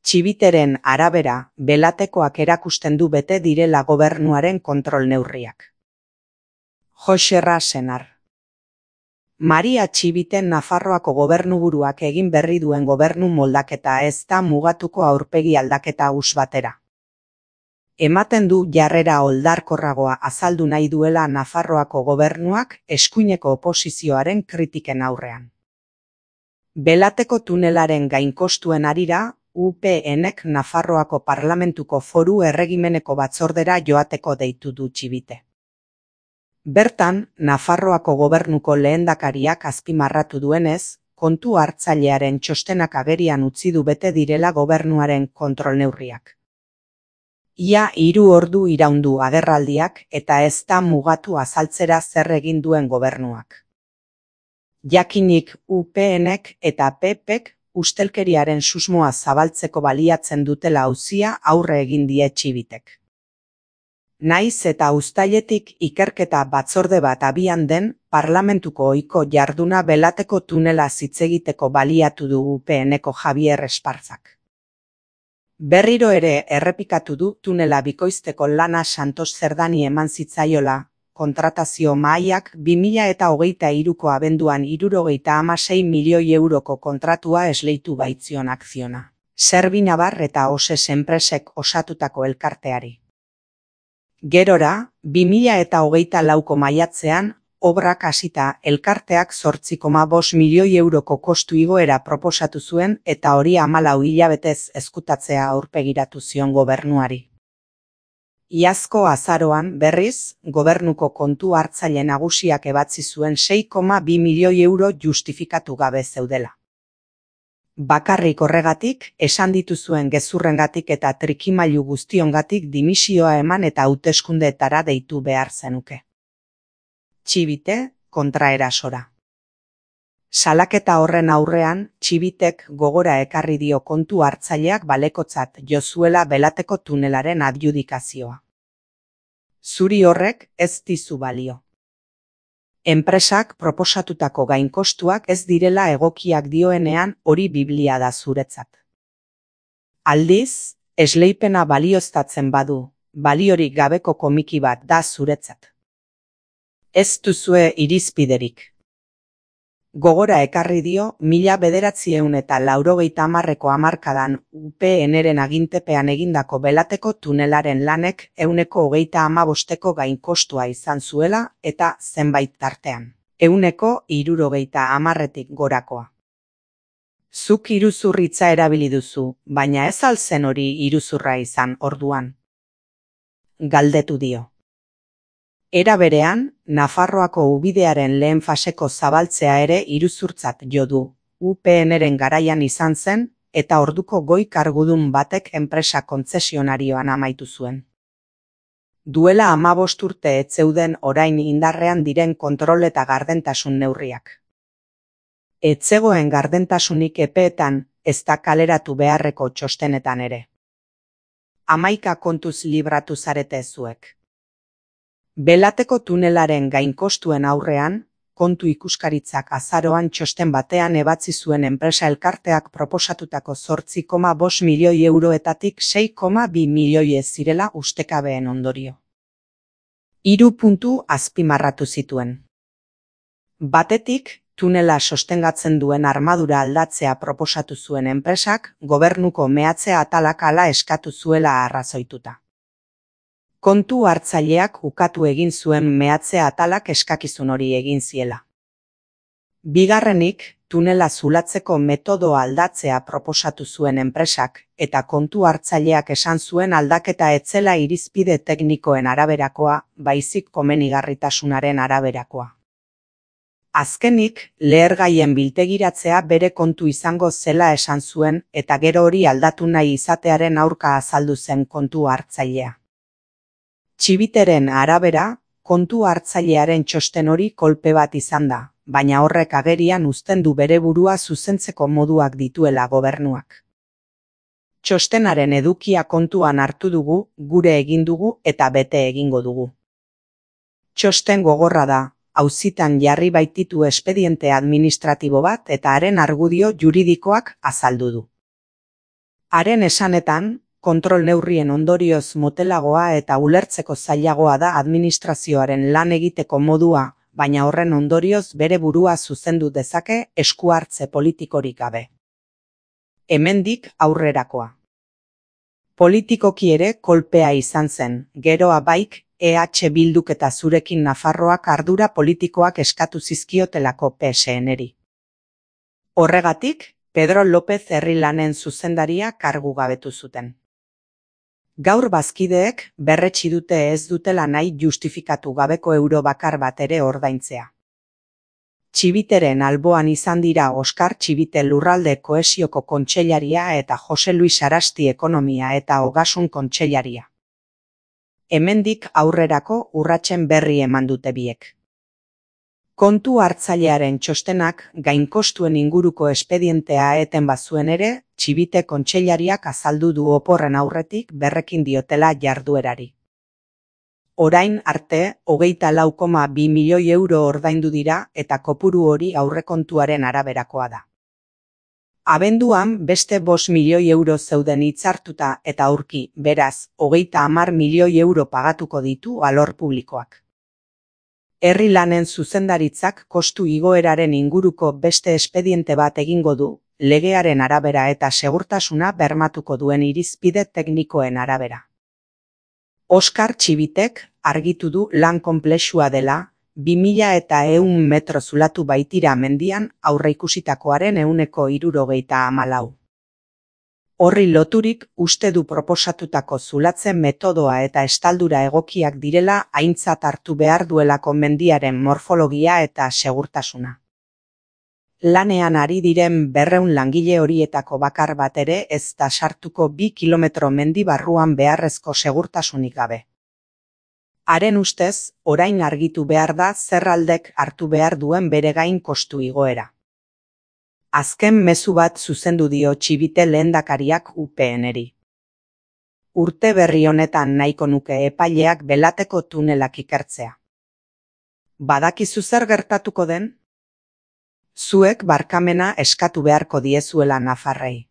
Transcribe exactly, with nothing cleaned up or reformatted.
Txibiteren arabera, Belatekoak erakusten du bete direla gobernuaren kontrol neurriak. Joxerra Senar. Maria Txibiten Nafarroako gobernuburuak egin berri duen gobernu moldaketa ez da mugatuko aurpegi aldaketa huts batera. Ematen du jarrera oldarkorragoa azaldu nahi duela Nafarroako gobernuak eskuineko oposizioaren kritiken aurrean. Belateko tunelaren gainkostuen harira, U P Nek Nafarroako Parlamentuko Foru Erregimeneko batzordera joateko deitu du Txibite. Bertan, Nafarroako gobernuko lehendakariak azpimarratu duenez, kontu hartzailearen txostenak agerian utzi du bete direla gobernuaren kontrol neurriak. Ia hiru ordu iraundu agerraldiak eta ez da mugatu azaltzera zer egin duen gobernuak. Jakinik U P Nek eta P Pek ustelkeriaren susmoa zabaltzeko baliatzen dutela auzia aurre egin die Txibitek. Naiz eta uztailetik ikerketa batzorde bat abian den, parlamentuko ohiko jarduna Belateko tunela hitz egiteko baliatu du U P Neko Javier Espartzak. Berriro ere errepikatu du tunela bikoizteko lana Santos Zerdani eman zitzaiola, kontratazio mahaiak bi mila eta hogeita hiruko abenduan hirurogeita hamasei milioi euroko kontratua esleitu baitzion akziona. Serbinabar eta Oses enpresek osatutako elkarteari. Gerora, bi mila eta hogeita lauko maiatzean, obrak hasita elkarteak zortzi koma bost milioi euroko kostu igoera proposatu zuen eta hori hamalau hilabetez ezkutatzea aurpegiratu zion gobernuari. Iazko azaroan, berriz, gobernuko kontu hartzaile nagusiak ebatzi zuen sei koma bi milioi euro justifikatu gabe zeudela. Bakarrik horregatik, esan dituzuen gezurrengatik eta trikimailu guztiongatik dimisioa eman eta hauteskundeetara deitu behar zenuke. Txibite, kontraerasora. Salaketa horren aurrean, Txibitek gogora ekarri dio kontu hartzaileak balekotzat jo zuela Belateko tunelaren adjudikazioa. Zuri horrek ez dizu balio. Enpresak proposatutako gainkostuak ez direla egokiak dioenean hori biblia da zuretzat. Aldiz, esleipena balioztatzen badu, baliorik gabeko komiki bat da zuretzat. Ez duzue irizpiderik. Gogora ekarri dio mila bederatziehun eta laurogeita hamarreko hamarkadan U P Nren agintepean egindako Belateko tunelaren lanek ehuneko hogeita hamabosteko gainkostua izan zuela eta zenbait tartean, ehuneko hirurogeita hamarretik gorakoa. Zuk iruzurritza erabili duzu, baina ez al zen hori iruzurra izan orduan? Galdetu dio. Era berean, Nafarroako ubidearen lehen faseko zabaltzea ere iruzurtzat jo du, U P Nren garaian izan zen, eta orduko goi kargudun batek enpresa kontzesionarioan amaitu zuen. Duela hamabost urte ez zeuden orain indarrean diren kontrol eta gardentasun neurriak. Ez zegoen gardentasunik epeetan, ez da kaleratu beharreko txostenetan ere. Hamaika kontuz libratu zarete zuek. Belateko tunelaren gainkostuen aurrean, kontu ikuskaritzak azaroan txosten batean ebatzi zuen enpresa elkarteak proposatutako zortzi koma bost milioi euroetatik sei koma bi milioi ez zirela ustekabeen ondorio. Hiru puntu azpimarratu zituen. Batetik, tunela sostengatzen duen armadura aldatzea proposatu zuen enpresak, gobernuko mehatze atalak hala eskatu zuela arrazoituta. Kontu hartzaileak ukatu egin zuen mehatze atalak eskakizun hori egin ziela. Bigarrenik, tunela zulatzeko metodoa aldatzea proposatu zuen enpresak, eta kontu hartzaileak esan zuen aldaketa etzela irizpide teknikoen araberakoa, baizik komenigarritasunaren araberakoa. Azkenik, lehergaien biltegiratzea bere kontu izango zela esan zuen eta gero hori aldatu nahi izatearen aurka azaldu zen kontu hartzailea. Txibiteren arabera, kontu hartzailearen txosten hori kolpe bat izan da, baina horrek agerian uzten du bere burua zuzentzeko moduak dituela gobernuak. Txostenaren edukia kontuan hartu dugu, gure egin dugu eta bete egingo dugu. Txosten gogorra da, auzitan jarri baititu espediente administratibo bat eta haren argudio juridikoak azaldu du. Haren esanetan, kontrol neurrien ondorioz motelagoa eta ulertzeko zailagoa da administrazioaren lan egiteko modua, baina horren ondorioz bere burua zuzendu dezake esku hartze politikorik gabe. Hemendik aurrerakoa. Politikoki ere kolpea izan zen, geroa baik, E H Bilduk eta zurekin Nafarroak ardura politikoak eskatu zizkiotelako P S N-eri. Horregatik, Pedro López herri lanen zuzendaria kargu gabetu zuten. Gaur bazkideek berretsi dute ez dutela nahi justifikatu gabeko euro bakar bat ere ordaintzea. Txibiteren alboan izan dira Oskar Txibite lurralde kohesioko kontseilaria eta Jose Luis Arasti ekonomia eta ogasun kontseilaria. Hemendik aurrerako urratsen berri eman dute biek. Kontu hartzailearen txostenak gainkostuen inguruko espedientea eten bazuen ere, Txibite kontseilariak azaldu du oporren aurretik berrekin diotela jarduerari. Orain arte, hogeita lau koma bi milioi euro ordaindu dira eta kopuru hori aurrekontuaren araberakoa da. Abenduan beste bost milioi euro zeuden hitzartuta eta aurki, beraz, hogeita hamar milioi euro pagatuko ditu alor publikoak. Herri lanen zuzendaritzak kostu igoeraren inguruko beste espediente bat egingo du, legearen arabera eta segurtasuna bermatuko duen irizpide teknikoen arabera. Oskar Txibitek argitu du lan konplexua dela, bi mila eta ehun metro zulatu baitira mendian aurreikusitakoaren ehuneko hirurogeita hamalau. Horri loturik uste du proposatutako zulatzen metodoa eta estaldura egokiak direla aintzat hartu behar duelako mendiaren morfologia eta segurtasuna. Lanean ari diren berrehun langile horietako bakar bat ere ez da sartuko bi kilometro mendi barruan beharrezko segurtasunik gabe. Haren ustez, orain argitu behar da zerraldek hartu behar duen bere gain kostu igoera. Azken mezu bat zuzendu dio Txibite lehendakariak U P N-eri. Urte berri honetan nahiko nuke epaileak Belateko tunelak ikertzea. Badakizu zer gertatuko den? Zuek barkamena eskatu beharko diezuela Nafarrei.